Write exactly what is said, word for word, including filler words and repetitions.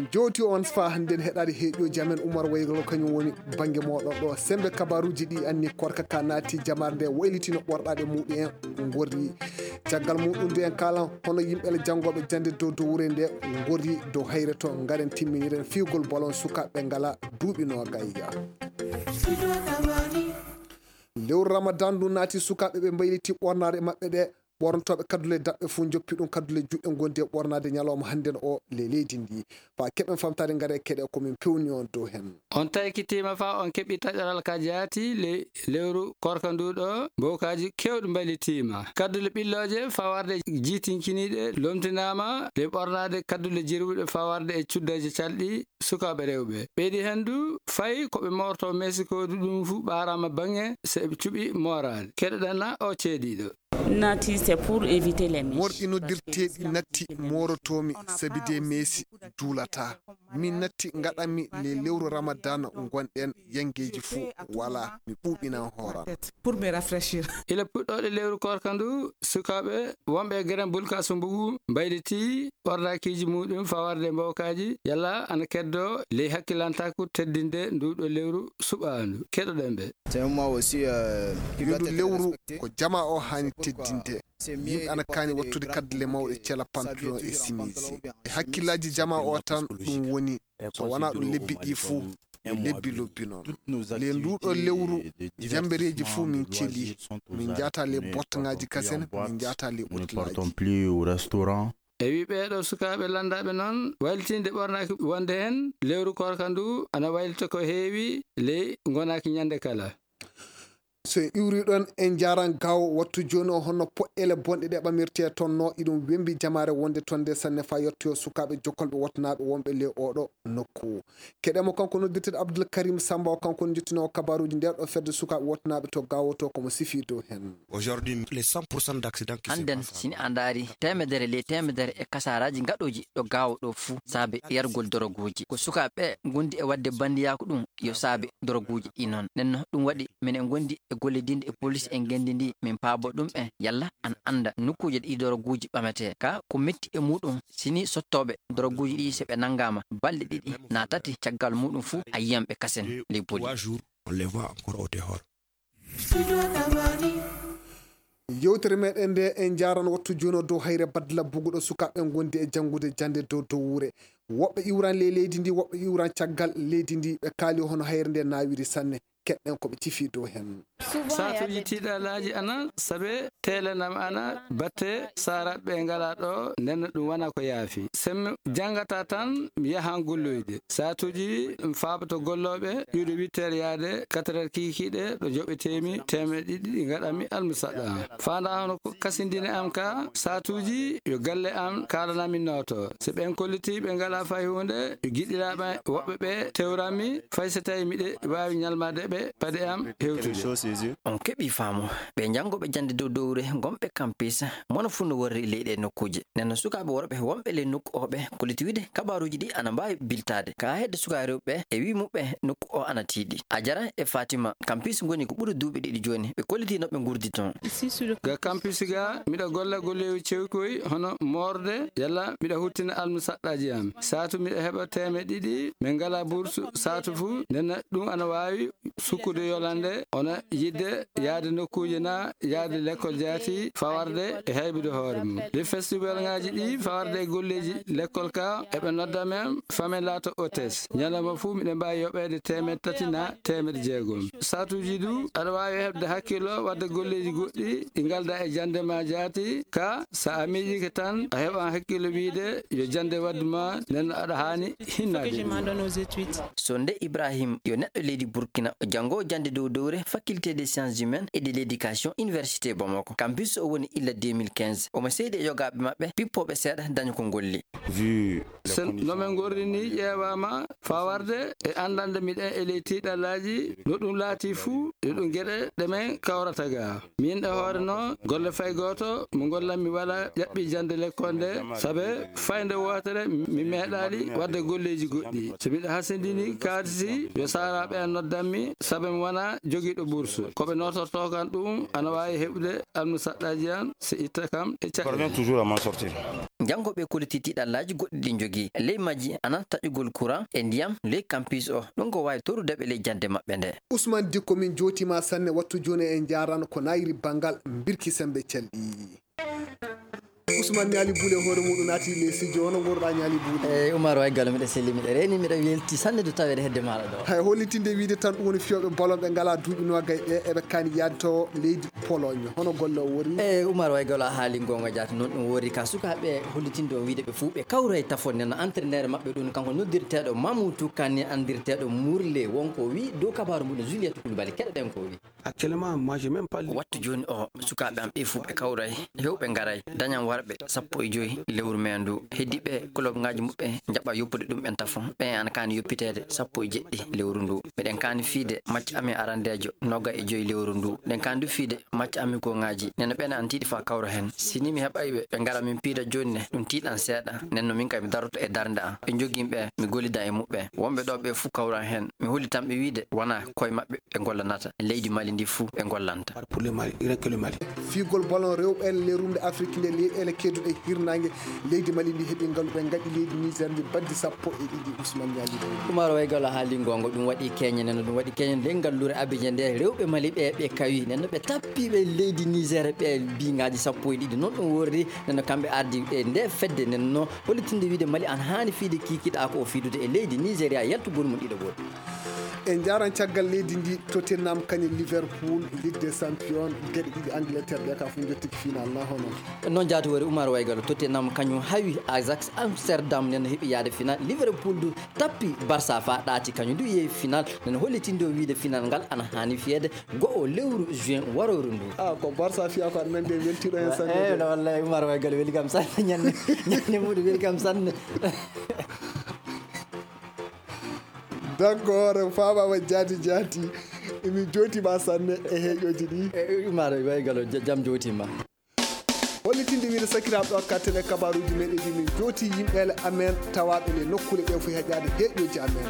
min jowti on fa hande heɗade heeƴoji amen Oumar Waygalo kañum woni banggue moɗon ɗo sembe kabaruji ɗi anni korka ka naati jamare nde waylitino ɓorɗade muɗum en gorri caggal muɗum ndu en kalan hono yimɓele janggoɓe jande dow dow wuure nde gorri dow hayre to garen timminiren fiugol bolon sukaɓe ngala duuɓi no gayya lewru Ramadan ndu naati sukaɓe ɓe mbayliti ɓornade mabɓe ɗe ɓornotoɓe kaddule daɓɓe fuu joppi ɗum kaddule juɗɗe gondi e ɓornade ñalawma hannden o le leydi ndi fa keɓen famtade ngare keɗe komin pewni on dow hen on tawkitima fa on keɓi taƴoral ka jaati le lewru korka nduɗo mbokaji kewɗe mbalitima kaddule ɓilloje fawarde jiitinkiniɗe lomtinama le ɓornade kaddule jirwuɗe fawarde e cuddaji calɗi sukaɓe rewɓe ɓeydi hendu fayi koɓe morto Mexico ɗum fu ɓarama bange se ɓe cuɓi morade keɗoɗenna o ceediɗo nati c'est pour éviter les mèches morɗi noddirteɗi natti morotomi sabi de meesi duulata min natti gaɗanmi le lewru Ramadan gonɗen yangeji fuu wala mi ɓuuɓinan hooram pour me rafraîchir ila puɗɗoɗe lewru korka ndu sukaɓe wonɓe gueren bulka sumbugu mbayliti ɓordakiji muɗum fawarde mbawkaji yalla ana keddo ley hakkilantaku teddinde nduɗo lewru suɓandu keɗoɗen ɓe ndu lewru ko jama o hani teddinde yimɓe ana kaani wattude kaddule mawɗe cela pantalon e simisi e hakkillaji jama o tan ɗum woni so wona ɗum lebbi ɗi fuu lebbi lobbi noon le nduɗo lewru jambereji fuu min celi min jata le bottangaji kasen min jata le ɓottelaji e wi ɓeeɗo sukaɓe landaɓe noon waylitinde ɓornaki wonde hen lewru korka ndu ana waylita ko heewi ley gonaki ñande kala so iwri ɗon en jaran gaw wattu joni o honno poɗɗele bonɗe ɗe ɓamirte toon no iɗum wembi jamare wonde toon nde sanne fa yettoyo sukaɓe jokkolɓe wattanaɓe wonɓe le oɗo nokku keɗemo kanko noddirteɗo Abdoul Karim Samba o kanko ne jettino kabaruji nder ɗo fedde sukaɓe wattanaɓe to gawoto komo sifi dow hen aujourd'hui les cent pour cent d'accident anden sini a ndaari temedere le temedere e kasaraji gaɗoji ɗo gawo ɗo fuu saabe yargol doroguji ko sukaɓe gondi e wadde bandiyaku ɗum yo saabe doroguji ɗi noon nenno ɗum waɗi minen gondi e golledinde e police en gendindi min paabo ɗum e yalla an anda nokkuje ɗi doroguji ɓamete ka ko metti e muɗum sini sottoɓe doroguji ɗi se ɓe nangama balɗe ɗiɗi na tati caggal muɗum fuu a yiyam ɓe kasen ley boli on les voit encore au dehors yewtere meɗen nde en jaran wattu joni dow hayre badla buguɗo sukaɓe gondi e jangude jande dow dow wuure woɓɓe iwran le leydi ndi woɓɓe iwran caggal leydi ndi ɓe kaali hono hayre nde nawiri sanne keɗɗen koɓe cifi dow hen satuji tiɗalaji ana saabe telenam ana batte saraɓe ngala ɗo nden ɗum wona ko yaafi sem jangata tan yahan golloyde satuji fabato golloɓe ƴuuɗo huit heures yaade quatre heures kikiɗe ɗo joɓetemi temeɗe ɗiɗi ɗi gaɗanmi almusaɗa fanda hono ko kasindine am ka satuji yo galle am kalanami noto so ɓen kolliti ɓe ngala fay hunde giɗiraɓe woɓɓe ɓe tewranmi fay so tawi miɗe wawi ñalmade ɓe pade am hewtude on keɓi faamu ɓe jangoɓe jande dow dowre gomɓe campus mono fu no worri leyɗe nokkuje nenno sukaɓe worɓe wonɓe ley nokku oɓe kolliti wiide kabaruji ɗi ana mbawi biltade ka hedde sukaɓe rewɓe e wi muɓɓe nokku o ana tiiɗi a jara e Fatima campus goni ko ɓuuri duuɓi ɗiɗi joni ɓe kolliti noɓe gurdi toon ga campus ga miɗa golla gollewi cewkoy hono morde yalla miɗa huttina almu saɗɗaji am satu miɗa heɓa teme ɗiɗi min ngala bourse satu fu nenno ɗum ana wawi sukkude yolande ona yidde yaade nokkuje na yaade l'école jaati fawarde e haybude hoore mum le festival ngaji ɗi fawarde e golleji l'école ka eɓe nodda men famen laato hôtesse ñalawma fuu miɗen mbawi yoɓede temed tati na temed jeegom satuji du aɗa wawi hebde hakkilo wadde golleji goɗɗi ɗi galda e jande ma jaati ka sa a miijike tan a heɓan hakkilo wiide yo jande wadduma nenno aɗa hani hinnade sonde Ibrahim yo neɗɗo leydi Burkina o jango jande dow dowre faculté des sciences humaines et de l'éducation université Bamako campus o woni illa deux mille quinze omo seydi e yogaɓe maɓɓe pippoɓe seeɗa daña ko golli sen nomin gorri ni ƴeewama fawarde e andande miɗen e ley tiɗallaji no ɗum laati fuu e ɗum gueɗe ɗemen kawrata ga min e hoore noon golle fay goto mo gollan mi wala ƴaɓɓi jande l'école nde saabe fayde wotere mi meeɗali wadde golleji goɗɗi so mbiɗa hasindini kaadisi yo saraɓe en noddanmi saabe mi wona joguiɗo bourse koɓe notorto kan ɗum ana wawi heɓude almu saɗɗaji an so itta kam e parvient toujours à m'en sortir jango ɓe koliti tiɗallaji goɗɗi ɗi jogii ley majji anan taƴugol courant e ndiyam ley campus o ɗum ko wawi torudeɓe ley jande maɓɓe nde. Ousmane Dikko min jotima sanne wattu joni en jarano ko nayiri bangal birki sembe celɗi. Ousmane Niali Boulé hoore muɗum naati le studio hono gorɗa Niali Boulé. Eyyi Oumar way gallo miɗa selli miɗa reni miɗa welti sanne do tawede hedde maɗa ɗo. Hay hollitinde wiide tan ɗum woni fiyoɓe bolon ɓe ngala duuɓi nogay ɓe eɓe kani yadto leydi Pologne hono golle o wori. Eyyi Oumar way gallo a haali gonga jaati noon ɗum wori ka sukaɓe hollitinde o wiide ɓe fuu ɓe kawray tafon nen entraîneur maɓɓe ɗum kanko noddirteɗo Mamoudou Kane andirteɗo Mourlé wonko wi dow kabaru muɗum Juliette Coulibaly keɗoɗen ko wi. Actuellement moi j'ai même pas wattu joni o sukaɓe am ɓe fuu ɓe kawray hewɓe garay dañan warɓe sappo e joyi lewru men ndu heddiɓe club ngaji muɓɓe jaɓa yoppude ɗum ɓen tafon ɓe an kani yoppitede sappo e jeɗɗi lewru ndu miɗen kani fiide match amin arandejo nogga e joyi lewru ndu ɗen kani du fiide match amin ko ngaji neno ɓene an tiiɗi fa kawra hen sini mi heɓayɓe ɓe gara min piida joni ne ɗum tiiɗan seeɗa nenno min kay mi daroto e darde an ɓe joguimɓe mi gollida e muɓɓe wonɓe ɗo ɓe fuu kawran hen mi holi tan ɓe wiide wona koye maɓɓe ɓe gollanata e leydi Mali ndi fuu ɓe gollanta pour le Mali rien que le Mali. Figol ballon rewɓe le rumde Afrique nde leyɗele kedduɗe hirnangue leydi Mali ndi heeɓi ngal ɓe gaɗi leydi Niger ndi baddi sappo e ɗiɗi Ousmane Niali Oumar way gallo haali gongo ɗum waɗi keñe neno ɗum waɗi keñe nde ngallure Abidjan nde rewɓe Mali ɓe ɓe kawi neno ɓe tappiɓe leydi Niger ɓe bingaji sappo e ɗiɗi noon ɗum worri neno kamɓe ardi e nde fedde nenno hollitinde wiide Mali an hani fiide kikiɗa ko o fiidude e leydi Nigéria yaltugol mum ɗiɗo goto. en jaran caggal leydi ndi Tottenham kañum Liverpool Ligue des Champions gueɗe ɗiɗi Angleterre ɓe ka fu jottiki final na hono noon jaati wori Oumar way gallo Tottenham kañum hawi Ajax Amsterdam neno heeɓi yaade final Liverpool du tappi Barça fa ɗaati kañum du yeewi final neno hollitinde o wiide final ngal ana hani fiyede go'o lewru juin waroru ndu ah ko Barça fiya ko aɗa nandi en weltiɗo hen sanne e wallahi Oumar way gallo weli kam sanne ñande ñande muɗum weli kam sanne d'accord famama jaati jaati emi jootima sanne e heeƴoji ɗi Oumar way gallo jaam jootima hollitinde wiide sakiraɓe ɗo katten e kabaruji meɗen ɗi min jooti yimɓele amen tawaɓe le nokkule ɗe fo heƴade heeƴoji amen